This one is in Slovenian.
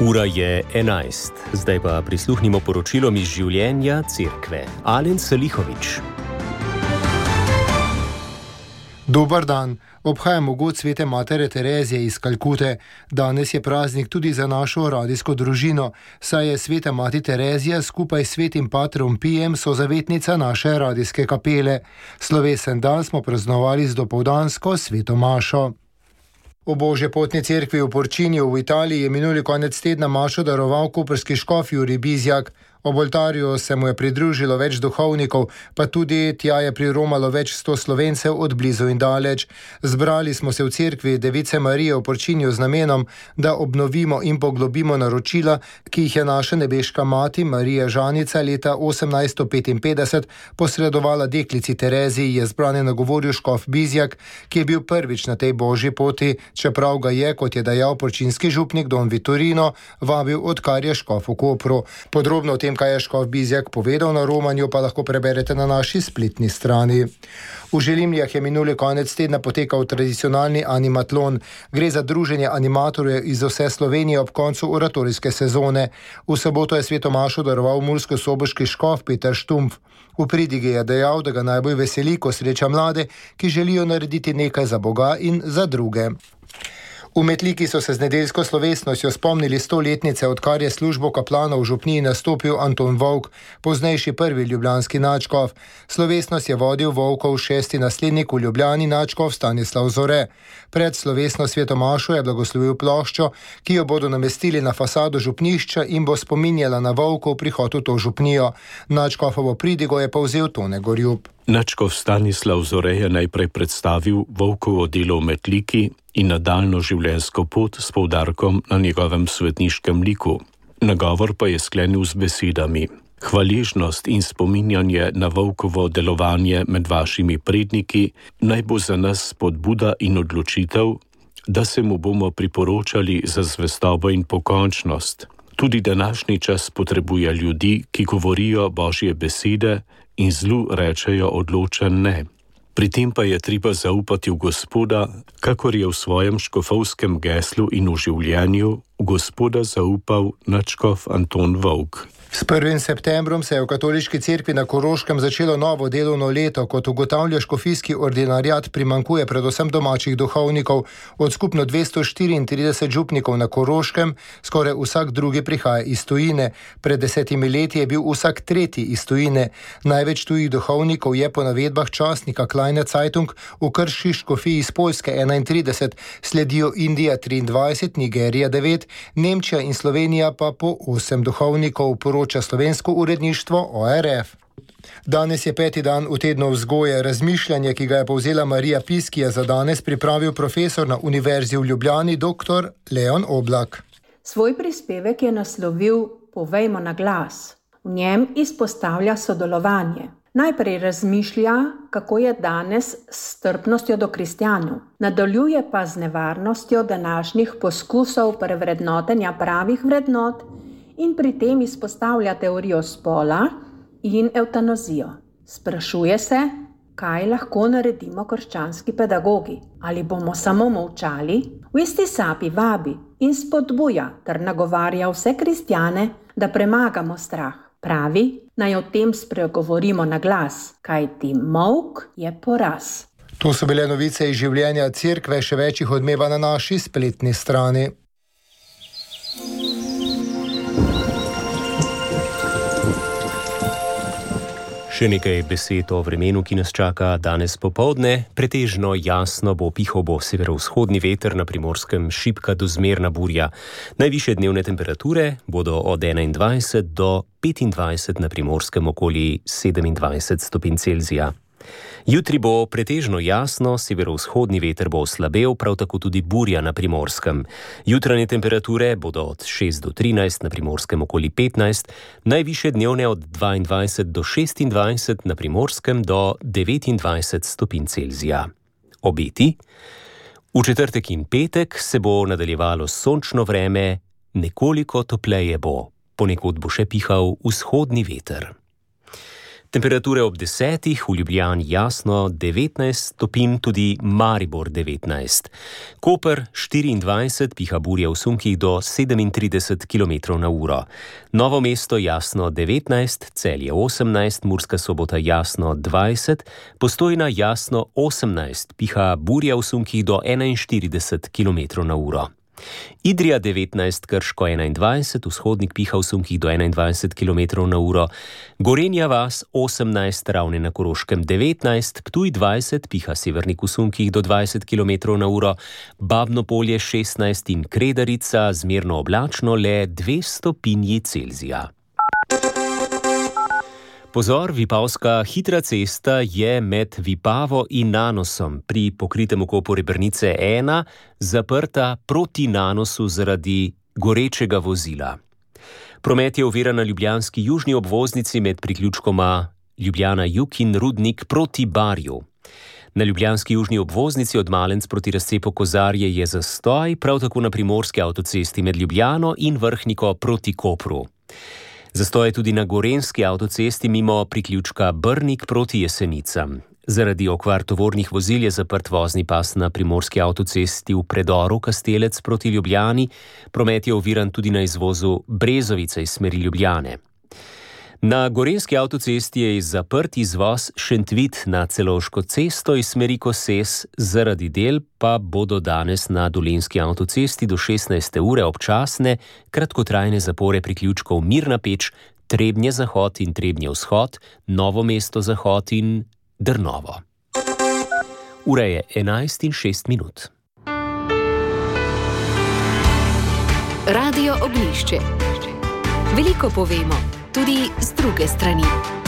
Ura je 11, zdaj pa prisluhnimo poročilom iz življenja cerkve. Alen Salihović. Dober dan. Obhajamo god svete matere Terezije iz Kalkute. Danes je praznik tudi za našo radijsko družino, saj je sveta mati Terezija skupaj s svetim patrom Pijem sozavetnica naše radijske kapele. Slovesen dan smo praznovali z dopoldansko sveto mašo. V Božje potni cerkvi v Porčinju v Italiji je minuli konec tedna mašo daroval koprski škof Jurij Bizjak. Ob oltarju se mu je pridružilo več duhovnikov, pa tudi tja je priromalo več 100 Slovencev od blizu in daleč. Zbrali smo se v cerkvi Device Marije v Porčinju z namenom, da obnovimo in poglobimo naročila, ki jih je naša nebeška mati Marija Žanica leta 1855 posredovala deklici Tereziji, je zbrane nagovoril škof Bizjak, ki je bil prvič na tej božji poti, čeprav ga je, kot je dejal porčinski župnik Don Vitorino, vabil, odkar je škof v Kopru. Podrobno o tem, kaj je škof Bizjak povedal na romanju, pa lahko preberete na naši spletni strani. V Želimljah je minuli konec tedna potekal tradicionalni animatlon. Gre za druženje animatorjev iz vse Slovenije ob koncu oratorijske sezone. V soboto je sveto mašo daroval murskosoboški škof Peter Štumpf. V pridigi je dejal, da ga najbolj veseli, ko sreča mlade, ki želijo narediti nekaj za Boga in za druge. V Metliki so se z nedeljsko slovesnostjo spomnili 100-letnice, odkar je službo kaplana v župniji nastopil Anton Vovk, poznejši prvi ljubljanski nadškof. Slovesnost je vodil Vovkov 6. naslednik v Ljubljani nadškof Stanislav Zore. Pred slovesno sveto mašo je blagoslovil ploščo, ki jo bodo namestili na fasado župnišča in bo spominjala na Vovkov prihod v to župnijo. Nadškofovo pridigo je povzel Tone Gorjub. Nadškof Stanislav Zore je najprej predstavil Vovkovo delo v Metliki in nadaljnjo življenjsko pot s poudarkom na njegovem svetniškem liku. Nagovor pa je sklenil z besedami: hvaležnost in spominjanje na Vovkovo delovanje med vašimi predniki naj bo za nas spodbuda in odločitev, da se mu bomo priporočali za zvestobo in pokončnost. Tudi današnji čas potrebuje ljudi, ki govorijo Božje besede in zlu rečejo odločen ne. Pri tem pa je treba zaupati v Gospoda, kakor je v svojem škofovskem geslu in v življenju v Gospoda zaupal nadškof Anton Vovk. S 1. septembrom se je v katoliški cerkvi na Koroškem začelo novo delovno leto. Kot ugotavlja škofijski ordinariat, primanjkuje predvsem domačih duhovnikov. Od skupno 234 župnikov na Koroškem skoraj vsak drugi prihaja iz tujine. Pred 10 leti je bil vsak tretji iz tujine. Največ tujih duhovnikov je po navedbah časnika Kleine Zeitung v krški škofiji iz Poljske 31, sledijo Indija 23, Nigerija 9, Nemčija in Slovenija pa po 8 duhovnikov, poroča slovensko uredništvo ORF. Danes je 5. dan v tednu vzgoje. Razmišljanje, ki ga je povzela Marija Pis, ki je za danes pripravil profesor na Univerzi v Ljubljani, dr. Leon Oblak. Svoj prispevek je naslovil Povejmo na glas. V njem izpostavlja sodelovanje. Najprej razmišlja, kako je danes s strpnostjo do kristjanov. Nadaljuje pa z nevarnostjo današnjih poskusov prevrednotenja pravih vrednot in pri tem izpostavlja teorijo spola in evtanazijo. Sprašuje se, kaj lahko naredimo krščanski pedagogi. Ali bomo samo molčali? V isti sapi vabi in spodbuja ter nagovarja vse kristjane, da premagamo strah. Pravi, naj o tem spregovorimo na glas, kajti molk je poraz. To so bile novice iz življenja cerkve, še več jih odmeva na naši spletni strani. Še nekaj besed o vremenu, ki nas čaka danes popoldne. Pretežno jasno bo, pihal bo severovzhodni veter, na Primorskem šibka do zmerna burja. Najvišje dnevne temperature bodo od 21 do 25, na Primorskem okoli 27 stopinj Celzija. Jutri bo pretežno jasno, severovzhodni veter bo oslabel, prav tako tudi burja na Primorskem. Jutranje temperature bodo od 6 do 13, na Primorskem okoli 15, najvišje dnevne od 22 do 26, na Primorskem do 29 stopinj Celzija. Obeti? V četrtek in petek se bo nadaljevalo sončno vreme, nekoliko topleje bo. Ponekod bo še pihal vzhodni veter. Temperature ob 10, v Ljubljani jasno 19 stopinj, tudi Maribor 19. Koper 24, piha burja v sunkih do 37 km/h. Novo mesto jasno 19, Celje 18, Murska Sobota jasno 20, Postojna jasno 18, piha burja v sunkih do 41 km/h. Idrija 19, Krško 21, Vzhodnik piha v sunkih do 21 km/h, Gorenja vas 18, Ravne na Koroškem 19, Ptuj 20, piha Severnik v sunkih do 20 km/h, Babno Polje 16 in Kredarica zmerno oblačno le 2 stopinji Celzija. Pozor, vipavska hitra cesta je med Vipavo in Nanosom pri pokritem ukopu Rebrnice 1 zaprta proti Nanosu zaradi gorečega vozila. Promet je oviran na ljubljanski južni obvoznici med priključkoma Ljubljana Jug in Rudnik proti Barju. Na ljubljanski južni obvoznici od Malenc proti razcepu Kozarje je zastoj, prav tako na primorski avtocesti med Ljubljano in Vrhniko proti Kopru. Zastoj je tudi na gorenjski avtocesti mimo priključka Brnik proti Jesenicam. Zaradi okvar tovornih vozil je zaprt vozni pas na primorski avtocesti v predoru Kastelec proti Ljubljani, promet je oviran tudi na izvozu Brezovica iz smeri Ljubljane. Na gorenjski avtocesti je zaprt izvoz Šentvid na Celovško cesto iz smeri Koses, zaradi del pa bodo danes na Dolenjski avtocesti do 16. ure občasne kratkotrajne zapore priključkov Mirna Peč, Trebnje zahod in Trebnje vzhod, Novo mesto zahod in Drnovo. Ura je 11:06. Radio Ognjišče. Veliko povemo, tudi z druge strani.